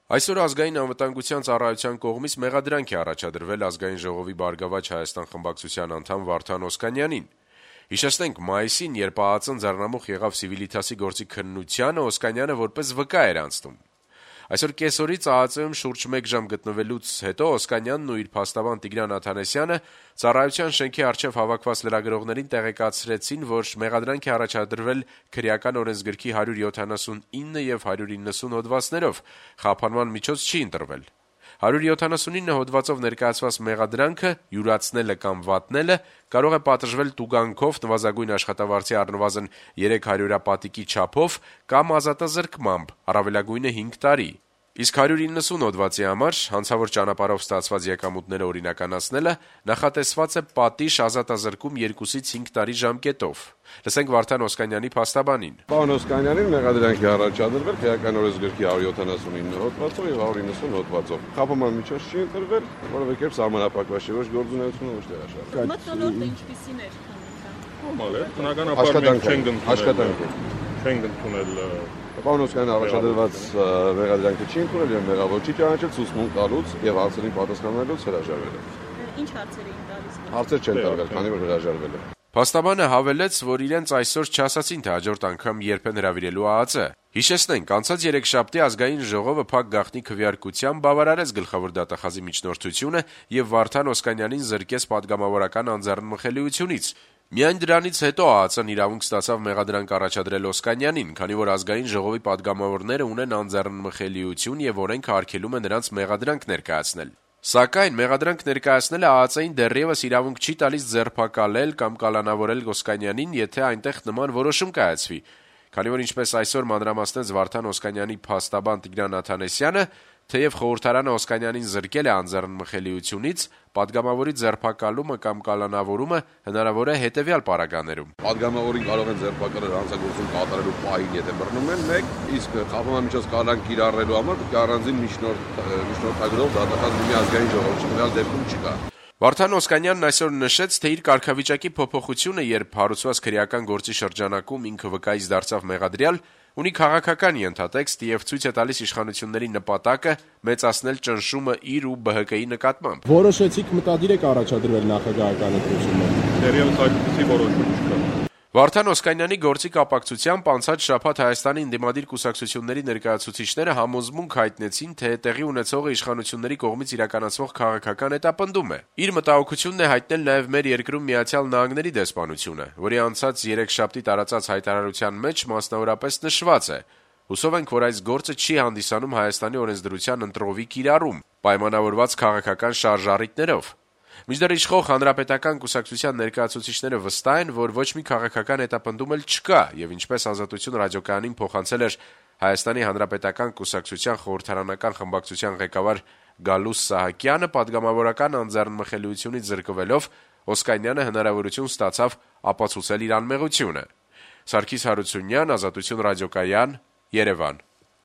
Այսօր ազգային անվտանգության ծառայության կողմից մեղադրանք է առաջադրվել Ազգային ժողովի «Բարգավաճ Հայաստան» խմբակցության անդամ Վարդան Օսկանյանին։ Հիշեցնենք, մայիսին, երբ ԱԱԾ-ն ձեռնամուխ եղավ Սիվիլիթասի գործի քննությանը, Օսկանյանը որպես վկա էր անցնում։ Այսօր կեսօրից ԱԱԾ-ում շուրջ 1 ժամ գտնվելուց հետո Օսկանյանն ու իր փաստաբան Տիգրան Աթանեսյանը ծառայության շենքի առջև հավաքված լրագրողներին տեղեկացրեցին, որ մեղադրանք է առաջադրվել քրեական օրենսգրքի 179 եւ 190 հոդվածներով, խափանման միջոց չի ընտրվել։ 179 հոդվածով ներկայացված մեղադրանքը յուրացնելը կամ վատնելը կարող է պատժվել տուգանքով, նվազագույն աշխատավարձի առնվազն 300 պատիկի չափով կամ ազատազրկմամբ, առավելագույնը 5 տարի։ Իսկ 190 հոդվածի համար հանցավոր ճանապարհով ստացված եկամուտները օրինականացնելը նախատեսված է պատիժ ազատազրկում 2-ից 5 տարի ժամկետով։ Լսենք Վարդան Օսկանյանի փաստաբանին։ Պարոն Օսկանյանին մեղադրանք է առաջադրվել քրեական օրենսգրքի 179 հոդվածով եւ 190 հոդվածով։ Խափանման միջոց չի ընտրվել, որովհետեւ կերպ սահմանափակված չէ, ոչ գործունեությունը, ոչ տեղաշարժ։ Մթնոլորտը ինչպիսին էր քննության։ Նորմալ է, բնականաբար աշխատանք չենք ընդունել։ Պարոն Օսկանյանը առաջադրված մեղադրանքը չի ընդունել եւ մեղավոր չի ճանաչել ցուցմունք տալուց եւ հարցերին պատասխանելուց հրաժարվել է։ Ինչ հարցեր էին տալիս։ Հարցեր չեն տարվել, քանի որ հրաժարվել է։ Փաստաբանը հավելեց, որ իրենց այսօր չասացին, թե հաջորդ անգամ երբ են հրավիրելու ԱԱԾ։ Հիշեցնենք, անցած երեքշաբթի Ազգային ժողովը փակ գաղտնի քվեարկությամբ բավարարեց գլխավոր դատախազի միջնորդությունը եւ Վարդան Օսկանյանին զրկեց պատգամավորական անձեռնմխելիությունից։ Միայն դրանից հետո ԱԱԾ-ն իրավունք ստացավ մեղադրանք առաջադրել Օսկանյանին, քանի որ Ազգային ժողովի պատգամավորները ունեն անձեռնմխելիություն եւ օրենքը արգելում է նրանց մեղադրանք ներկայացնել։ Սակայն մեղադրանք ներկայացնելը ԱԱԾ-ին դեռևս իրավունք չի տալիս ձերբակալել կամ կալանավորել Օսկանյանին, եթե այնտեղ նման որոշում կայացվի, քանի որ ինչպես այսօր մանրամասնեց Վարդան Օսկանյանի փաստաբան Տիգրան Աթանեսյանը, թեև խորհրդարանը Օսկանյանին զրկել է անձեռնմխելիությունից, պատգամավորի ձերբակալումը կամ կալանավորումը հնարավոր է հետևյալ պարագաներում. Պատգամավորին կարող են ձերբակալել հանցագործություն կատարելու պահին, եթե բռնում են 1, իսկ խափանման միջոց կալան կիրառելու համար առանձին միջնորդագրով դատախազ մի ազգային ժողով չկալ դեպքում չկա։ Վարդան Օսկանյանն այսօր նշեց, թե իր կարգավիճակի փոփոխությունը, երբ հարուցված քրեական գործի շրջանակում ինքը վկայից դարձավ մեղադրյալ, ունի քաղաքական ենթատեքստ եւ ցույց է տալիս իշխանությունների նպատակը մեծացնել ճնշումը իր ու ԲՀԿ-ի նկատմամբ։ Որոշեցիք մտադիր եք առաջադրվել նախագահական ընտրությունները։ Դեռևս այդպիսի որոշում չկա։ Վարդան Օսկանյանի գործի կապակցությամբ անցած շաբաթ Հայաստանի ընդդիմադիր կուսակցությունների ներկայացուցիչները համոզմունք հայտնեցին, թե տեղի ունեցողը իշխանությունների կողմից իրականացվող քաղաքական հետապնդում է։ Իր մտահոգությունն է հայտնել նաև մեր երկրում Միացյալ Նահանգների դեսպանությունը, որի անցած երեքշաբթի տարածած հայտարարության մեջ մասնավորապես նշված է. «Հուսով ենք, որ այս գործը չի հանդիսանում Հայաստանի օրենսդրության ընտրովի կիրառում, պայմանավորված քաղաքական շարժառիթներով»։ Մինչդեռ իշխող հանրապետական կուսակցության ներկայացուցիչները վստահ են, որ ոչ մի քաղաքական հետապնդում էլ չկա եւ ինչպես Ազատություն ռադիոկայանին փոխանցել էր Հայաստանի հանրապետական կուսակցության խորհրդարանական խմբակցության ղեկավար Գալուս Սահակյանը, պատգամավորական անձեռնմխելիությունից զրկվելով Օսկանյանը հնարավորություն ստացավ ապացուցել իր անմեղությունը։ Սարգիս Հարությունյան, Ազատություն ռադիոկայան, Երևան։